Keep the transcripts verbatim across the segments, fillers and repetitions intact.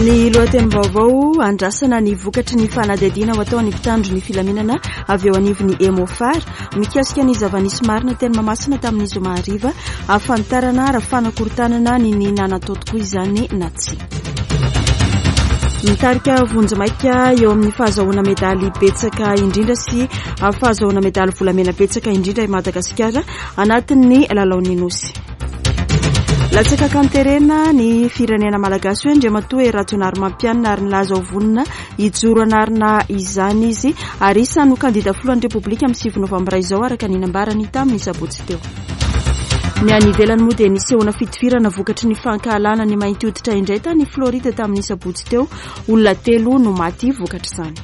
Ny lohatenim-baovao: andrasana ny vokatry ny fanadihadiana ho ataon'ny mpitandro ny filaminana avy eo anivon'ny Emmo-Far mikasika ny zava-nisy marina teny Mahamasina tamin'ny zoma hariva, ahafantarana raha fanakorontanana ny ny nanatao tokoa izany na tsia. Mitarika vonjimaika eo amin'ny fahazahoana medaly betsaka indrindra sy fahazahoana medaly volamena betsaka indrindra i Madagasikara anatin'ny lalaon'ny Nosy. Latsaka kanterena ny firenena malagasy hoe Andriamatoa Hery Rajaonarimampianina, ary nilaza ho vonona hijoro anarina izany izy ary isan'ny ho kandida filohan'ny Repoblika amin'ny sivy novambra izao, araka ny nambarany tamin'ny sabotsy teo. Ny any ivelany moa dia nisehoana fitifirana vokatry ny fankahalana ny mainty hoditra indray tany Floride tamin'ny sabotsy teo. Olona telo no maty vokatr'izany.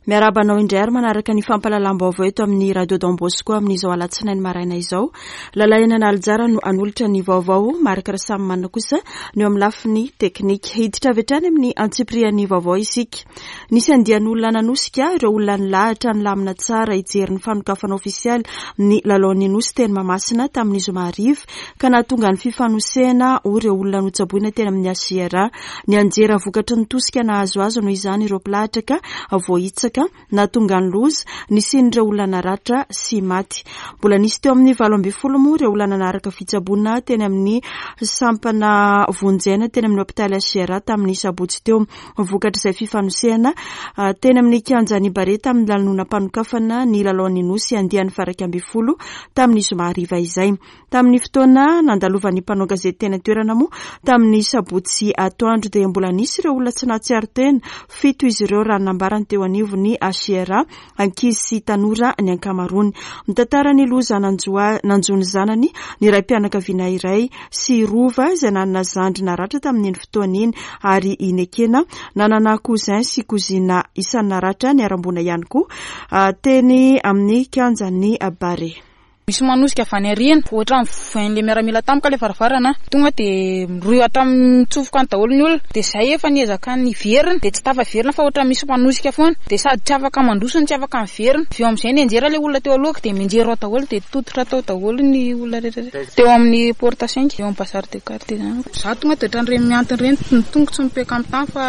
Miarahaba anao indray ary manaraka ny fampahalalam-baovao eto amin'ny Radio Don Bosco amin'izao alatsinainy maraina izao. Lalaina Nalijara no anolotra ny vaovao, Marc Rasamanana kosa no eo amin'ny lafiny teknika. Hiditra avy hatrany amin'ny antsipirian'ny vaovao isika. Nisy andian'olona nanosika ireo olona nilahatra nilamina tsara hijery ny fanokafana ofisialy ny lalaon'ny Nosy teny Mahamasina tamin'ny zoma hariva, ka nahatonga ny fifanosehana ho ireo olona notsaboina teny amin'ny H I R A. Nianjera vokatry ny tosika nahazo azy noho izany ireo mpilahatra ka voahitsaka, nahatonga ny loza nisian'ireo olona naratra sy maty. Mbola nisy teo amin'ny valo ambin'ny folo moa ireo olona nanaraka fitsaboana teny amin'ny sampana vonjaina teny amin'ny hôpitaly H I R A tamin'ny sabotsy teo. Vokatr'izay fifanosehana teny amin'ny kianjan'i Barea tamin'ny lanonam-panokafana ny lalaon'ny Nosy andiany faha-iraika ambin'ny folo tamin'ny zoma hariva izay. Tamin'ny fotoana nandalovan'ny mpanao gazety teny an-toerana moa tamin'ny sabotsy atoandro dia mbola nisy ireo olona tsy nahatsiaro tena, fito izy ireo raha nambarany teo anivon'ny H I R A, ankizy sy tanora ny ankamaroany. Mitantara ny loza nanjoa-, nanjo ny zanany ny raim-pianakaviana iray sy rova izay nanana zandry naratra tamin'iny fotoana iny, ary inekena nanana cousin sy cousine isan'ny naratra niharam-boina ihany koa teny amin'ny kianjan'ny Barea. Misy manosika avy any aoriana, ohatra mivoain'ilay miaramila tampoka ilay varavarana, tonga dia miroa hatramin'ny mitsofoka any daholo ny olona. Dia izay efa niezaka niverina, dia tsy tafaverina fa ohatra misy manosika foana, dia sady tsy afaka mandroso no tsy afaka miverina. Avy eo amin'izay nianjera ilay olona teo alohako, dia mianjera ao daholo, dia tototra tao daholo ny olona rehetra rehetra. Teo amin'ny porte cinq, eo amin'ny bazary de quartier izany. Izaho tonga dia ohatran'ireny mihantona ireny, ny tongotro tsy mipeka amin'ny tany fa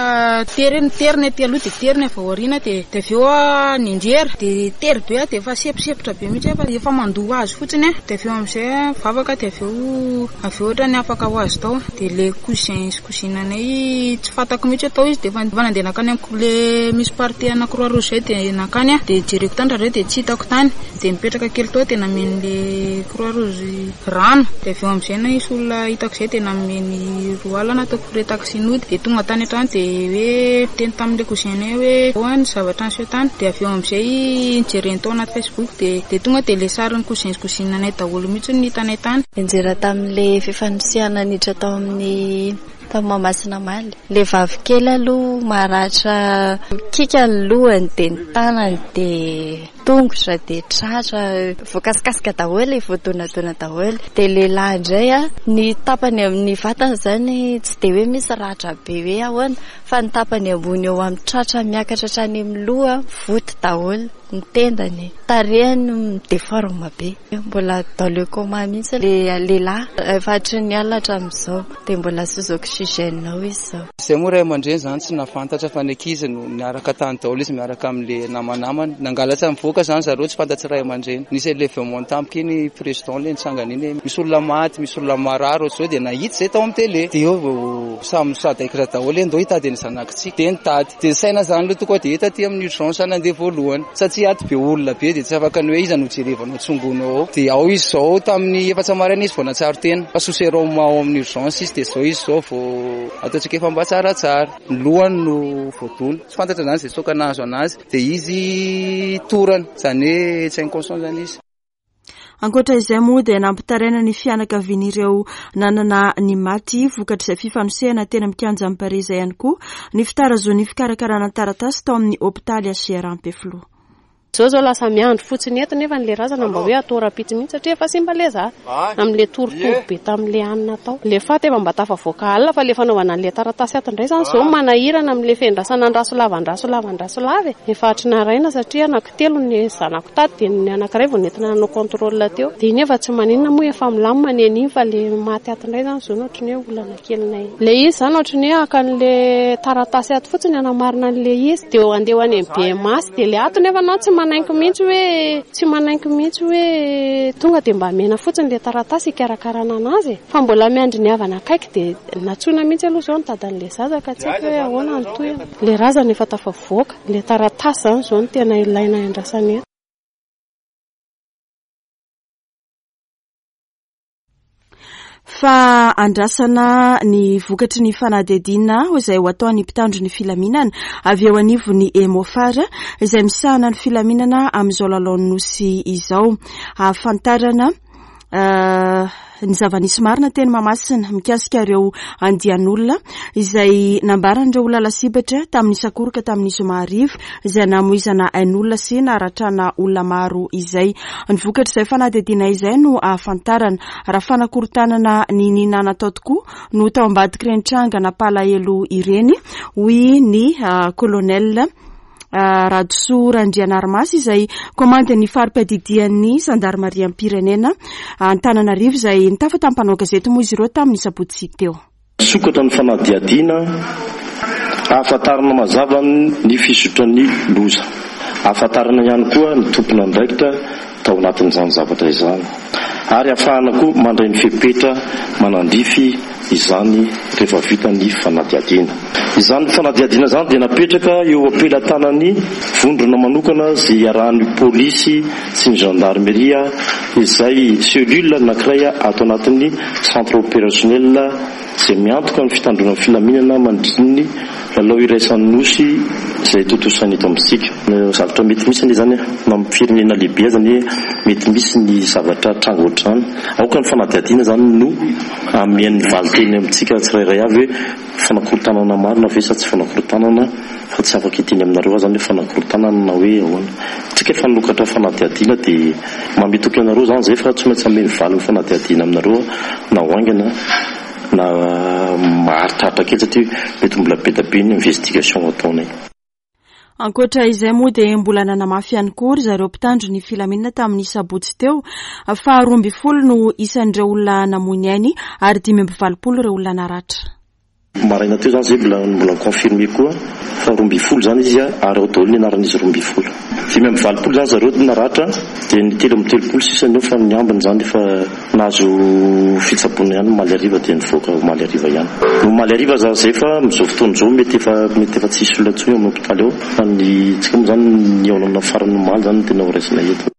tery, tery ny aty aloha dia tery ny avy ao aoriana, dia, dia avy eo aho nianjera, dia tery be aho, dia efa seposepotra be mihitsy aho fa efa mandoa azy fotsiny a. Dia avy eo amin'izay mivavaka, dia avy eo, avy eo ohatran'ny afaka ho azy tao. Dia le cousin sy cousine anay tsy fantako mihitsy atao izy, dia efa nandeha nankany amiko le misy partie ana Croix Rouge zay, dia nankany aho, dia jereko tany zareo, dia tsy hitako tany, dia nipetraka kely tao, dia namen'le Croix Rouge rano. Dia avy eo amin'izay nisy olona hitako izay, dia nameny roa alina nataoko frais taxi nody, dia tonga tany an-trano, dia hoe niteny tamin'le cousin anay hoe ahoana ny zavatra niseho tany. Dia avy eo amin'izay nijereny tao anaty Facebook, dia, dia tonga dia le sarin'ny cousin sy cousine anay daholo mihitsy no hitanay tany. Nianjera tamin'le fifanosehana niditra tao amin'ny tamin'ny Mahamasina omaly. Le vavy kely aloha maratra kika ny lohany, dia ny tanany, dia tongotra, dia tratra, voakasikasika daholo, voadonadona daholo. Dia lehilahy indray a, ny tapany amin'ny vatany izany tsy dia hoe misy ratra be hoe ahoana, fa ny tapany ambony eo amin'ny tratra miakatra hatrany amin'ny loha voty daholo, ny tendany, tarehiny mi-déforme be. Mbola dans le coma mihitsy le lehilahy efa hatry ny alina hatramin'izao, dia mbola sous oxygène ao izy izao. Izay moa ray aman-dreny izany tsy nahafantatra fa ny ankizy no niaraka tany daholo izy miaraka amin'ilay namanamany. Nangalatra mivoaka izany zareo, tsy fantatry ray aman-dreny. Nisy élévement tampoka iny président ilay nitsangana iny hoe misy olona maty, misy olona marary ohatr'izao, dia nahita izay tao amin'ny télé. Dia eo vao samy sadaikatra daholo hoe ndao hitady ny zanakitsika. Dia nitady. Dia saina izany aloha tonga dia hita aty amin'ny urgence nandeha voalohany. Satria ato be olona be dia tsy afaka ny hoe iza no jerevanao tsongonao ao. Dia ao izy izao tamin'ny efatra maraina izy vao nahatsiaro tena. Fa sous sérum ao amin'ny urgence izy, dia izao izy izao vao ataontsika efa mba tsaratsara. Ny lohany no voadona. Tsy fantatra izany izay soka nahazo anazy. Dia izy torana, izany hoe tsy inconscient izany izy. Ankoatra izay moa dia nampitaraina ny fianakavian'ireo nanana ny maty vokatr'izay fifanosehana teny amin'ny kianjan'i Barea izay ihany koa ny fitarazoan'ny fikarakarana taratasy tao amin'ny hôpitaly H I R Ampefiloha. Zao zao lasa miandry fotsiny eto nefa n'le razana mba hoe atao rapitsy mihitsy satria efa simba le za amin'le torotoro be tamin'le hanina atao. Le faty efa mba tafavoaka alina fa le fanaovana an'le taratasy ato indray zany zao manahirana amin'le fiandrasana andraso lava andraso lava andraso lava e. Efa hatry naraina satria anankitelo ny zanako tato dia ny anankiray vao nentina nanao contrôle teo. Dia iny efa tsy maninona moa efa milamina ny an'iny fa le maty ato indray zany zao no ohatry ny hoe olana kelinay. Le izy zany ohatry ny hoe haka an'le taratasy ato fotsiny hanamarina an'le izy dia andeha ho any amin'ny B M A dia le ato nefa anao tsy manaiky mihitsy hoe tsy manaiky mihitsy hoe tonga dia mba mena fotsiny le taratasy hikarakarana anazy fa mbola miandry ny havana akaiky dia natsoina mihitsy aloha izao nitady an'le zaza ka tsy haiko hoe ahoana ny tohiny. Le razana efa tafavoaka, le taratasy zany izao no tena ilaina andrasana eto. Fa andrasana ny vokatry ny fanadihadiana izay ho ataon'ny mpitandro ny filaminana avy eo anivon'ny Emofar izay misahana ny filaminana amin'izao lalaon'ny nosy izao. Ahafantarana ny zava-nisy marina teny Mahamasina mikasika ireo andian'olona izay nambaran'ireo olona lasibatra tamin'ny sakoroka tamin'ny zoma hariva izay namoizana ain'olona sy naharatrana olona maro izay. Ny vokatr'izay fanadihadiana izay no ahafantarana raha fanakorontanana niniana natao tokoa no tao ambadik'ireny tranga nampalahelo ireny, hoy ny colonel Radosoa Randrianarimasy izay komandin'ny fari-piadidian'ny zandarimariam-pirenena Antananarivo izay nitafa tamin'ny mpanao gazety moa izy ireo tamin'ny sabotsy teo. Sokatra ny fanadihadiana ahafantarana mazava ny fisotran'ny loza, ahafantarana ihany koa ny tompon'andraikitra tao anatin'izany zavatra izany ary ahafahana koa mandray ny fepetra manandrify izany rehefa vita ny fanadihadiana. Izany fanadihadiana izany dia napetraka eo am-pelatanan'ny vondrona manokana izay iarahan'ny polisy sy ny gendarmeria izay cellule anankiray ato anatin'ny centre opérationnel izay miantoka ny fitandroana ny filaminana mandritra ny lalao iraisan'ny nosy izay tontosaina eto amintsika. Zavatra mety misy anie izany na amin'ny firenena lehibe aza anie mety misy ny zavatra tranga ohatr'izany. Aoka ny fanadihadiana izany no amian'ny valinteny amintsika tsirairay avy hoe fanakorontanana marina ve sa tsy fanakorontanana, fa tsy afaka hiteny aminareo aho izany hoe fanakorontanana na hoe ahoana. Tsika efa nokatra fanadihadiana dia mametoky anareo izany izay fa tsy maintsy ame ny valin'ny fanadihadiana aminareo na ho haingana na maharitraritra kely satria mety mbola be dia be ny investigation ataonay. Ankoatra izay moa dia mbola nanamafy ihany koa ry zareo mpitandro ny filaminana tamin'ny sabotsy teo fa roa ambin'ny folo no isan'ireo olona namoy ny ainy ary dimy amby valopolo ireo olona naratra. Maraina teo izany izay mbola mbola confirmé koa fa roa ambin'ny folo izany izy ary ao daholo ny anaran'izy roa ambin'ny folo. Dimy amby valopolo izany zareo naratra dia ny telo amby telopolo sisa ny eo fa ny ambiny izany efa nahazo fitsaboana ihany omaly hariva dia nivoaka omaly hariva ihany. Omaly hariva izany izay fa amin'izao fotoana izao mety efa mety efa tsy hisy olona intsony ao amin'ny hôpitaly ao fa ny tsika moa izany ny olana farany omaly izany no tena ho raisina eto.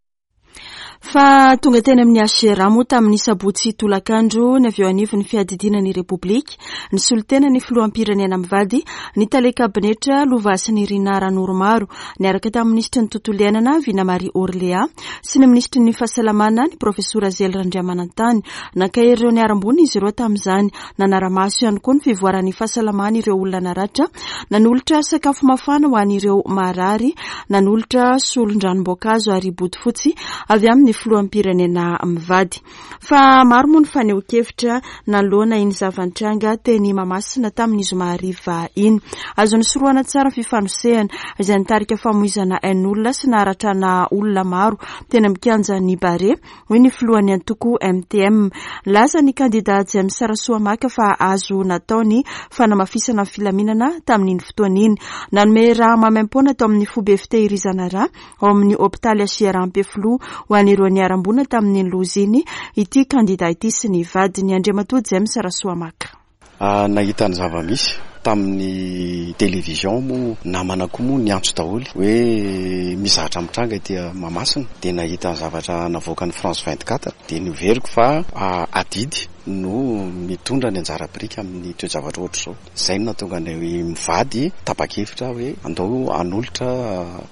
Fa tonga teny amin'ny H R A moa tamin'ny sabotsy tolakandro ny avy eo anivon'ny fiadidiana ny Repoblika, ny solontena ny filoham-pirenena mivady, ny tale kabinetra Lovasinirina Ranoromaro, niaraka tamin'ny minisitry ny tontolo iainana Vina Marie Orléa sy ny minisitry ny fahasalamana ny profesora Zely Randriamanantany. Nankahery ireo niharam-boina izy ireo tamin'izany, nanara-maso ihany koa ny fivoaran'ny fahasalamana ireo olona naratra, nanolotra sakafo mafana ho an'ireo marary, nanolotra solon-dranom-boankazo ary bodofotsy avy amin'ny filoham-pirenena mivady. Fa maro moa ny fanehoan-kevitra nanoloana iny zava-nitranga teny Mahamasina tamin'ny zoma hariva iny. Azo nisorohana tsara ny fifanosehana izay nitarika famoizana ain'olona sy naharatrana olona maro teny amin'ny kianjan'ny Barea, hoy ny filohan'ny antoko M T M. Nilaza ny kandida James Rasoamaka fa azo natao ny fanamafisana ny filaminana tamin'iny fotoana iny. Nanome raha maimaimpoana tao amin'ny foibe fitehirizana rà ao amin'ny hôpitaly H R Ampefiloha ho an'ireo niharam-boina tamin'iny loza iny ity kandida ity sy ny vadiny Andriamatoa James Rasoamaka. Ah, nahita ny zava-misy tamin'ny télévision moa namana koa moa niantso daholo hoe misy zavatra mitranga ety Mahamasina, dia nahita ny zavatra navoakan'ny France vingt-quatre dia noveriko fa, ah, adidy no mitondra ny anjara biriky amin'ny toe-javatra ohatr'izao. Izay no nahatonga anay mivady tapa-kevitra hoe andao hanolotra,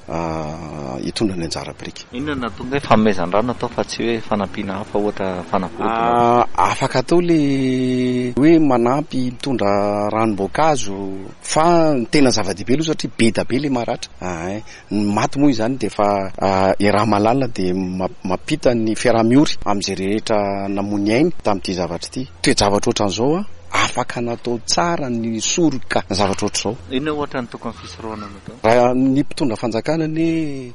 ah, hitondra ny anjara biriky. Inona no nahatonga hoe fanomezan-drano atao fa tsy hoe fanampiana hafa ohatra fanafody? Ah, afaka atao le hoe manampy mitondra ranom-boankazo azo, fa ny tena zava-dehibe aloha satria be da be le maratra. Ay, ny maty moa izany dia efa iaraha-mahalala, dia mampita ny fiaraha-miory amin'izay rehetra namony ainy tamin'ity zavatra ity. Toe-javatra ohatran'izao a, afaka natao tsara ny soroka ny zavatra ohatr'izao. Inona ohatra ny tokony fisorohana natao? Raha ny mpitondra fanjakana ny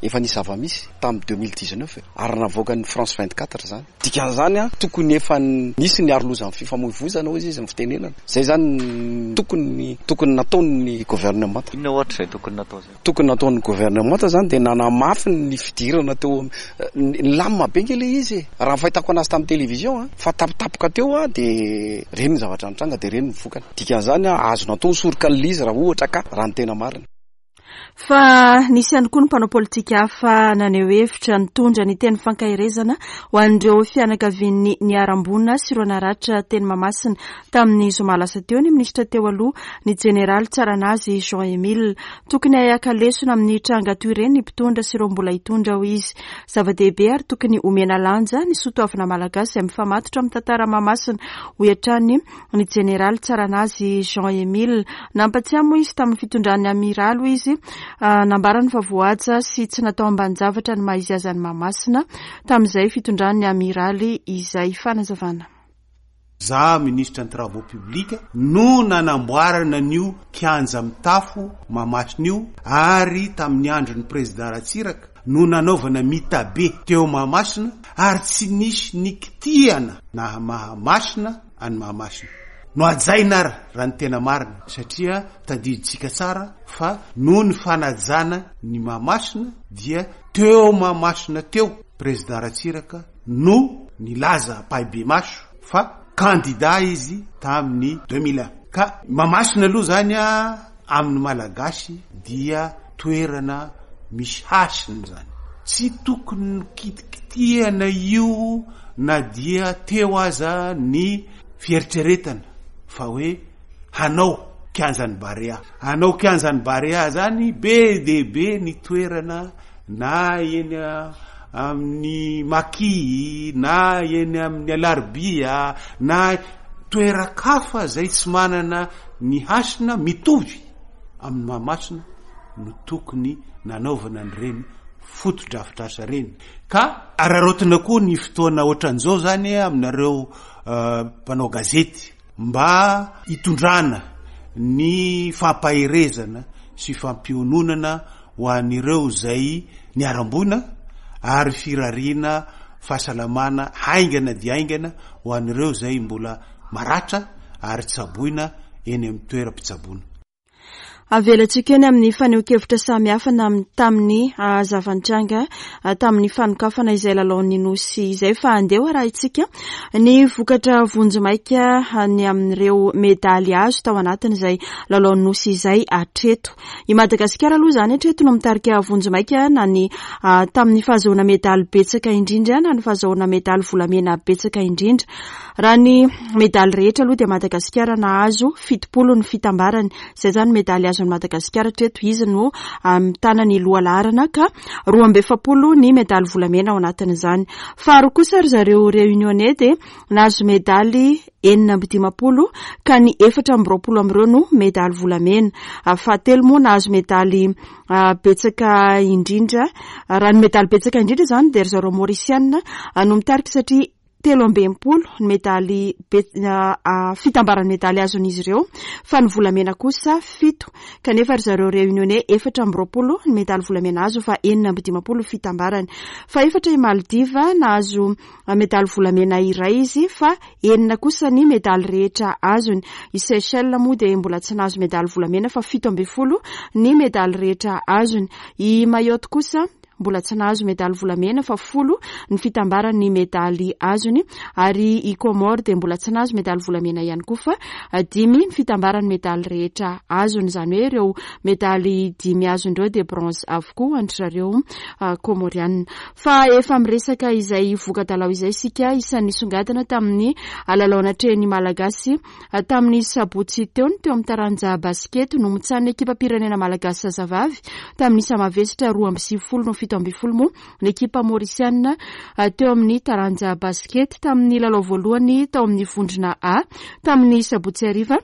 efa nisy zava-misy tamin'ny deux mille dix-neuf ary navoaka ny France vingt-quatre zany. Dikan'izany a, tokony efa nisy ny arolozan'ny fifamoivoizana hoy izy ny fitenenana. Zay zany tokony tokony nataon'ny gouvernement. Inona ohatra izay tokony natao zay? Tokony nataon'ny gouvernement zany dia nanamafy ny fidirana teo nilamina be nge le izy e. Raha ny fahitako anazy tamin'ny télévision a, fa tapitapoka teo a dia reny ny zavatra nitranga dia reny ny vokany. Dikan'izany a, azo natao soroka an'ilay izy raha ohatra ka raha ny tena marina. Fa nisy ihany koa ny mpanao politika hafa naneho hevitra nitondra ny teny fankaherezana ho an'ireo fianakavian'ny niharam-boina sy ireo naratra teny Mahamasina tamin'ny zoma lasa teo ny minisitra teo aloha, ny jeneraly Tsaranazy Jean Emile. Tokony hahaka lesona amin'ny tranga toy ireny ny mpitondra sy ireo mbola hitondra, hoy izy. Zava-dehibe ary tokony omena lanja ny soatoavina malagasy izay mifamatotra amin'ny tantara Mahamasina, hoy hatrany ny jeneraly Tsaranazy Jean Emile. Nampatsiahy moa izy tamin'ny fitondran'ny amiraly, hoy izy, nambarany fa voahaja sy tsy natao ambanin-javatra ny maha izy azy an'i Mahamasina tamin'izay fitondran'ny amiraly izay. Fanazavana. Za ministre ny travaux publics no nanamboarana an'io kianja mitafo Mahamasina io, ary tamin'ny andron'ny président Ratsiraka no nanaovana mitabe teo Mahamasina, ary tsy nisy nikitiana na Mahamasina any Mahamasina. No hajaina ary raha ny tena marina, satria tadidintsika tsara fa noho ny fanajana ny Mahamasina dia teo Mahamasina teo président Ratsiraka no nilaza ampahibemaso fa candidat izy tamin'ny deux mille un. Ka Mahamasina aloha zany a amin'ny Malagasy dia toerana misy hasina zany. Tsy tokony kitikitiana io na dia teo aza ny fieritreretana fa hoe hanao kianjan'ny Barea. Hanao kianjan'ny Barea zany be dia be ny toerana na eny amin'ny Maki na eny amin'ny Alarobia na toeran-kafa zay tsy manana ny hasina mitovy amin'ny Mahamasina no tokony nanaovana an'ireny fotodrafitrasa reny. Ka araraotina koa ny fotoana ohatran'izao zany aminareo mpanao gazety mba hitondrana ny fampaherezana sy fampiononana ho an'ireo zay niharam-boina ary firariana fahasalamana haingana dia haingana ho an'ireo zay mbola maratra ary tsaboina eny amin'ny toeram-pitsaboana. Avelantsika eny amin'ny fanehoan-kevitra samihafa tamin'ny zava-nitranga tamin'ny fanokafana izay lalaon'ny Nosy izay, fa andeha arahintsika ny vokatra vonjimaika ny amin'ireo medaly azo tao anatin'izay lalaon'ny Nosy izay hatreto. I Madagasikara aloha izany hatreto no mitarika vonjimaika na ny tamin'ny fahazoana medaly betsaka indrindra na ny fahazoana medaly volamena betsaka indrindra. Raha ny medaly rehetra aloha dia Madagasikara nahazo fitopolo ny fitambarany. Izay izany medaly azon'i Madagasikara hatreto, izy no mitana ny lohalaharana ka roa amby efapolo ny medaly volamena ao anatin'izany. Faharoa kosa ry zareo Réunionnais dia nahazo medaly enina amby dimampolo ka ny efatra amby roapolo amin'ireo no medaly volamena. Fahatelo moa nahazo medaly betsaka indrindra. Raha ny medaly betsaka indrindra izany dia ry zareo Maurisiana no mitarika satria telo amby enimpolo ny medaly fitambaran'ny medaly azon'izy ireo, fa ny volamena kosa fito, kanefa ry zareo Réunionnais efatra amby roapolo ny medaly volamena azo fa enina amby dimampolo fitambarany. Fa efatra i Maldives nahazo medaly volamena iray izy fa enina kosa ny medaly rehetra azony. I Seychelles moa dia mbola tsy nahazo medaly volamena fa fito amby folo ny medaly rehetra azony. I Mayotte kosa mbola tsy nahazo medaly volamena fa folo ny fitambaran'ny medaly azony, ary i Comores dia mbola tsy nahazo medaly volamena ihany koa fa dimy ny fitambaran'ny medaly rehetra azony. Izany hoe ireo medaly dimy azon'ireo dia bronze avokoa an-dry zareo Comoriana. Fa efa miresaka izay voka-dalao izay isika, isan'ny nisongadina tamin'ny lalao natrehin'ny Malagasy tamin'ny sabotsy teo ny teo amin'ny taranja basikety no notsanin'ny ekipam-pirenena malagasy zazavavy tamin'ny isa mavesatra roa amby sivifolo no fito amby folo moa ny ekipa maurisiana teo amin'ny taranja basikety tamin'ny lalao voalohany tao amin'ny vondrona A tamin'ny sabotsy hariva.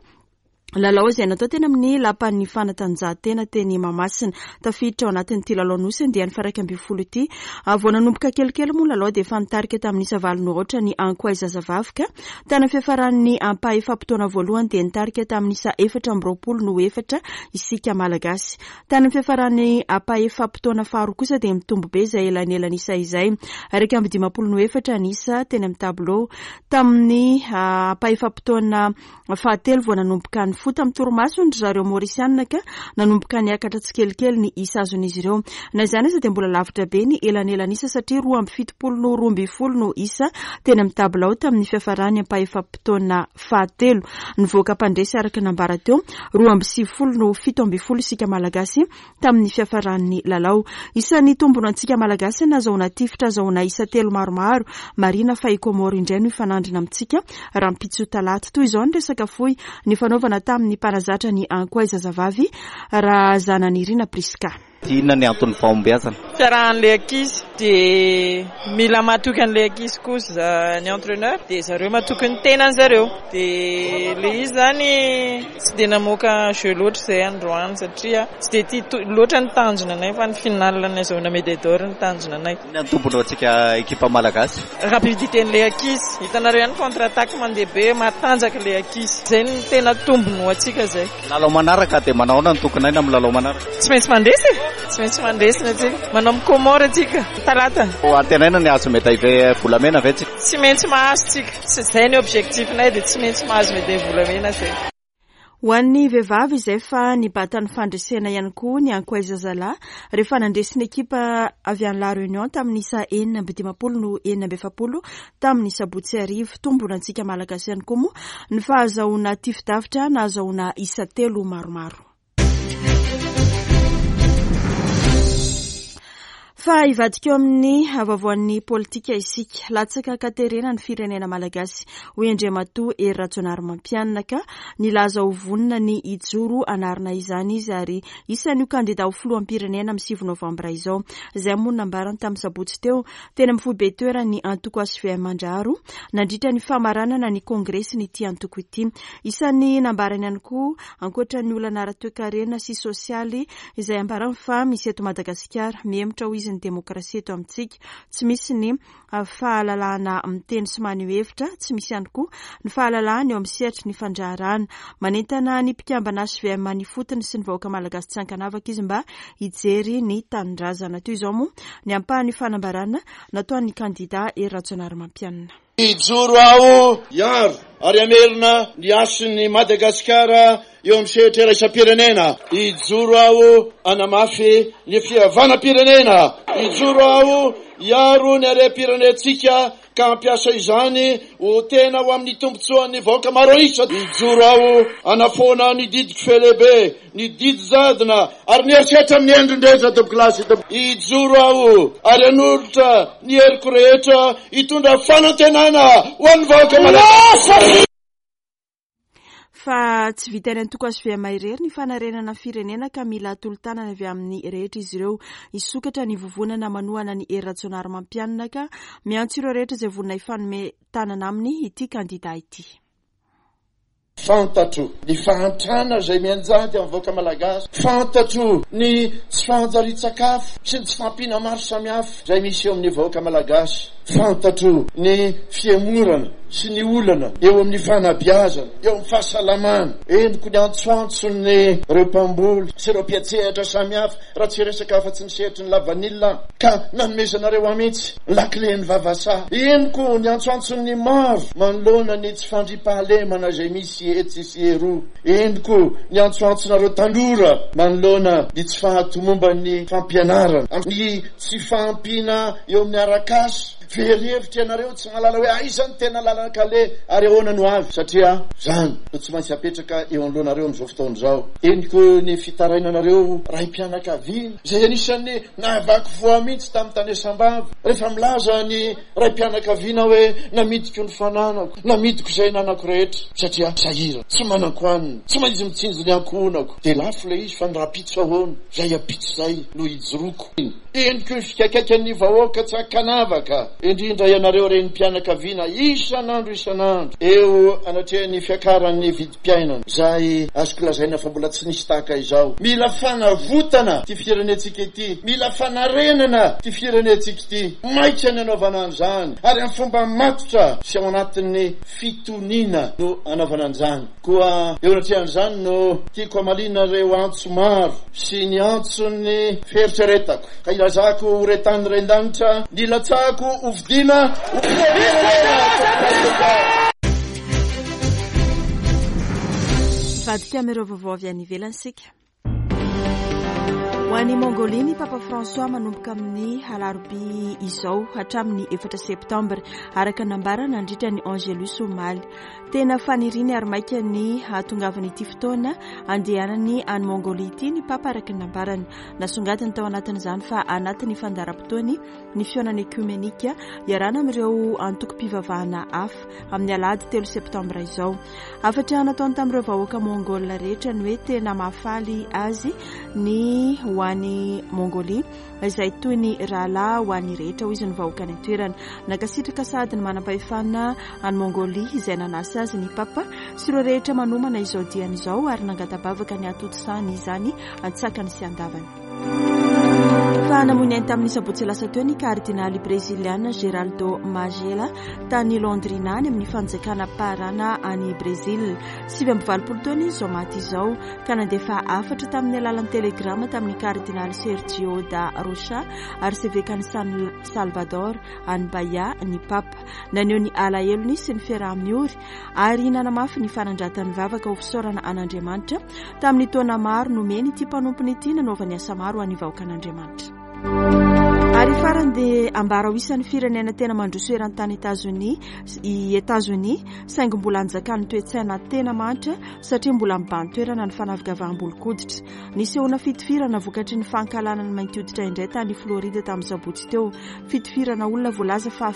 Lalao izay natao teny amin'ny lapan'ny fanatanjahantena teny Mahamasina. Tafiditra ao anatin'ity lalao nosy andiany faha-iraika ambin'ny folo ity. Vao nanomboka kelikely moa lalao dia efa nitarika tamin'ny isa valo no aotra ny Ankoay zazavavy ka tany amin'ny fiafaran'ny ampahefa-potoana voalohany dia nitarika tamin'ny isa efatra amby roapolo no efatra isika Malagasy. Tany amin'ny fiafaran'ny ampahefa-potoana faharoa kosa dia mitombo be izay elanelan'isa izay. Iraika amby dimampolo no efatra ny isa teny amin'ny tabilao. Tamin'ny ampahefa-potoana fahatelo vao nanomboka ny fo tamin'ny torimasony ry zareo Maorisianina ka nanomboka niakatra tsikelikely ny isa azon'izy ireo. Na izany aza dia mbola lavitra be ny elanelan'isa satria roa amby fitopolo no roa ambin'ny folo no isa teny amin'ny tabilao tamin'ny fiafarany ampahefa-potoana fahatelo. Nivoaka mpandresy araka ny nambara teo roa amby sivifolo no fito ambin'ny folo isika Malagasy tamin'ny fiafaran'ny lalao. Isan'ny tombona antsika Malagasy nahazoana tifitra azahoana isa telo maromaro. Marina fa i Komoro indray no hifanandrina amintsika rahampitso talata. Toy izao ny resaka fohy ny fanaovana tamin'ny mpanazatra ny Ankoay zazavavy Razananirina Priska. Inona ny anton'ny fahombiazana? Fiarahan'ilay ankizy dia mila matoky an'ilay ankizy koa ny entraîneur dia zareo matoky ny tenany zareo dia ilay izy zany tsy dia namoaka jeu loatra izay androany satria tsy dia tia loatra ny tanjona anay fa ny finale nahazoana médaille d'or ny tanjona anay. Inona ny tombony ho antsika ekipa malagasy? Rapidité n'ilay ankizy, hitanareo ihany contre attaque mandeha be matanjaka ilay ankizy, izay no tena tombony ho antsika izay. Lalao manaraka dia manao ahoana ny tokony aina amin'ny lalao manaraka? Tsy maintsy mandresy, tsy maintsy mandresy ny antsika. Manao amin'ny Comore antsika talata. Antenaina ny hahazo médaille volamena ve tsika? Tsy maintsy mahazo tsika, tsy izay ny objectif-nay dia tsy maintsy mahazo médaille volamena izay. Ho an'ny vehivavy izay fa nibata ny fandresena ihany koa ny Ankoay zazalahy rehefa nandresy ny ekipa avy any La Réunion tamin'ny isa enina amby dimampolo no enina amby efapolo tamin'ny sabotsy hariva. Tombona antsika Malagasy ihany koa moa ny fahazahoana tifi-davitra nahazahoana isa telo maromaro. Fa hivadika eo amin'ny vaovaon'ny politika isika. Latsaka katerena ny firenena malagasy hoy Andriamatoa Hery Rajaonarimampianina ka nilaza ho vonona ny hijoro hanarina izany izy ary isan'io kandida ho filoham-pirenena amin'ny sivy novambra izao. Izay moa no nambarany tamin'ny sabotsy teo teny amin'ny foibe toeran'ny antoko H V M Andraharo nandritra ny famaranana ny kongresy ity antoko ity. Isan'ny nambarany ihany koa ankoatra ny olana ara-toekarena sy sosialy izay ambarany fa misy eto Madagasikara, mihemotra ho izy ny demokrasia eto amintsika, tsy misy ny fahalalahana miteny sy maneho hevitra, tsy misy ihany koa ny fahalalahana eo amin'ny sehatry ny fandraharahana. Manentana ny mpikambana H V M any ifotony sy ny vahoaka malagasy tsy ankanavaka izy mba hijery ny tanindrazana. Toy izao moa ny ampahan'ny fanambarana nataon'ny kandida Hery Rajaonarimampianina. Hijoro aho hiaro ary hamerina ny hasin'ny Madagasikara eo amin'ny sehatra iraisam-pirenena. Hijoro aho hanamafy ny fihavanam-pirenena. Hijoro aho hiaro ny harem-pirenentsika ka hampiasa izany ho tena ho amin'ny tombontsoan'ny vahoaka maro isa. Hijoro aho hanafoana ny didiko felehibe, ny didy jadona ary ny herisetra amin'ny endriny rehetra tompoko-lahy. Hijoro aho ary hanolotra ny heriko rehetra hitondra fanantenana ho an'ny vahoaka malagasy. Fa tsy vitan'ny antoko H V M irery ny fanarenana firenena ka mila tolo-tanana avy amin'ny rehetra izy ireo. Hisokatra ny vovonana manohana ny Hery Rajaonarimampianina ka miantso ireo rehetra izay vonona hifanome tanana aminy ity kandida ity. Fantatro ny fahantrana izay mianjady amin'ny vahoaka malagasy. Fantatro ny tsy fahanjarian-tsakafo sy ny tsy fahampiana maro samihafa izay misy eo amin'ny vahoaka malagasy. Fantatro ny fihemorana sy ny olana eo amin'ny fanabeazana, eo amin'ny fahasalamana. Henoko ny antsoantson'ny ireo mpamboly sy ireo mpiantsehatra samihafa raha tsy resaka afa-tsy ny sehatry ny lavanila ka nanomezanareo ahy mihitsy ny lakilen'ny vavasaha. Henoko ny antsoantson'ny maro manoloana ny tsy fandriampahalemana izay misy etsy sy eroa. Henoko ny antsoantsonareo tanora manoloana ny tsy fahatomomban'ny fampianarana, ny tsy fahampiana eo amin'ny arak'asa. Very hevitra ianareo tsy mahalala hoe aiza ny tena lalana kale ary ahoana no avy, satria zany no tsy maintsy apetraka eo anoloanareo amin'izao fotoana izao. Henoko ny fitarainanareo raim-pianakaviana izay anisan'ny nahavaky voa mihitsy tamin'ny tany Sambava rehefa milaza ny raim-pianakaviana hoe namidiko ny fananako, namidiko izay nanako rehetra satria sahirana, tsy manako hanina, tsy maintsy mitsinjo ny ankohonako. Dia lafo ilay izy fa ny rahampitso ahoana, izay ampitso izay no hijoroako. Henoko ny fikaikaikan'ny vahoaka tsy ankanavaka indrindra ianareo renim-pianakaviana isan'andro isan'andro eo anatrehan'ny fiakaran'ny vidim-piainana izay azoko lazaina fa mbola tsy nisy tahaka izao. Mila fanavotana ity firenentsika ity, mila fanarenana ity firenentsika ity. Maika ny anaovana an'izany ary amin'ny fomba matotra sy ao anatin'ny fitoniana no anaovana an'izany. Koa eo anatrehan'izany no tiako hamaliana ireo antso maro sy ny antson'ny fieritreretako ka ilazako ho retany ren-danitra nilatsahako ho fidiana ho firenena. Vadika amin'ireo vaovao avy any ivelany isika. Ho any Mongolia ny Papa François manomboka amin'ny alarobia izao hatramin'ny efatra septambra araka nambara nandritra ny Angelus omaly. Tena faniriany ary maika ny hahatongavan'ity fotoana andehanany any Mongolia ity ny Papa araka ny nambarany. Nasongadiny tao anatin'izany fa anatin'ny fandaharam-potoany ny fihaonana ekumenika iarahana amin'ireo antokom-pivavahana hafa amin'ny alahady telo septambra izao. Hafatra nataony tamin'ireo vahoaka mongol rehetra ny hoe tena mahafaly azy ny ho any Mongolia izay toy ny rahalahy ho an'ny rehetra hoy izy ny vahoaka any an-toerana. Nankasitraka sady ny manam-pahefana any Mongolia izay nanasa azy ny Papa sy ireo rehetra manomana izao diany izao ary nangata-bavaka ny hatontosany izany an-tsakany sy an-davany. Fa namoy ny ainy tamin'ny sabotsy lasa teo ny kardinaly breziliana Geraldo Magela tany Londrina any amin'ny fanjakana Parana any Brezila. Sivy amby valopolo taona izy izao maty izao ka nandefa hafatra tamin'ny alalan'ny telegrama tamin'ny kardinaly Sergio da Rocha arsevekan'i San Salvador any Bahia ny Papa. Naneho ny alahelony sy ny fiaraha-miory ary nanamafy ny fanandratany vavaka ho fisaorana an'Andriamanitra tamin'ny taona maro nomeny ity mpanompony ity nanaovany asa maro ho an'ny vahoakan'Andriamanitra. Ary farany dia ambara ho isan'ny firenena tena mandroso eran-tany Etazonia i Etazonia saingy mbola anjakan'ny toe-tsaina tena mantra satria mbola mibahan-toerana ny fanavakavaham-bolon-koditra. Nisehoana fitifirana vokatry ny fankahalana ny mainty hoditra indray tany Floride tamin'ny sabotsy teo. Fitifirana olona voalaza fa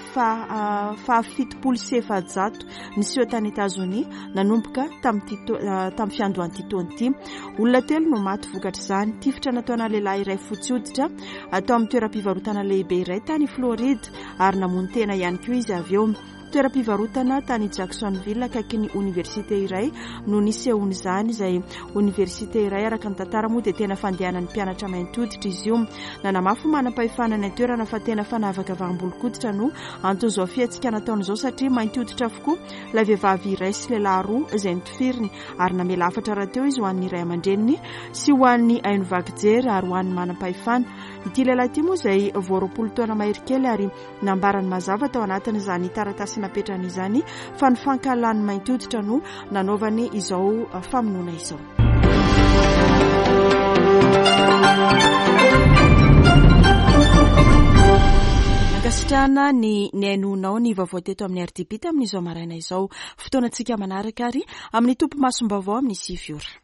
fahafitopolo sy efajato niseho tany Etazonia nanomboka tamin'ity tamin'ny fiandohan'ity taona ity. Olona telo no maty vokatr'izany. Tifitra nataona lehilahy iray fotsy hoditra atao amin'ny toeram-pivarotana lehibe iray tany Floride ary namono tena ihany koa izy avy eo. Toeram-pivarotana tany Jacksonville akaiky ny oniversite iray no nisehoan'izany, izay oniversite iray araka ny tantara moa dia tena fandehanan'ny mpianatra mainty hoditra izy io. Nanamafy manam-pahefana ny toerana fa tena fanavakavaham-bolon-koditra no anton'izao fihetsika nataon'izao satria mainty hoditra avokoa ilay vehivavy iray sy lehilahy roa izay notifiriny ary namela hafatra rahateo izy ho an'ny ray aman-dreniny sy ho an'ny haino vaky jery ary ho an'ny manam-pahefana. Ity lehilahy ity moa izay vao roapolo taona mahery kely ary nambarany mazava tao anatin'izany taratasy napetrany izany fa ny fankahalany mainty hoditra no nanaovany izao famonoana izao. Ankasitrahana ny nihainoanao ny vaovao teto amin'ny R D B tamin'izao maraina izao. Fotoanantsika manaraka ary amin'ny tompo masom-baovao amin'ny sivy ora.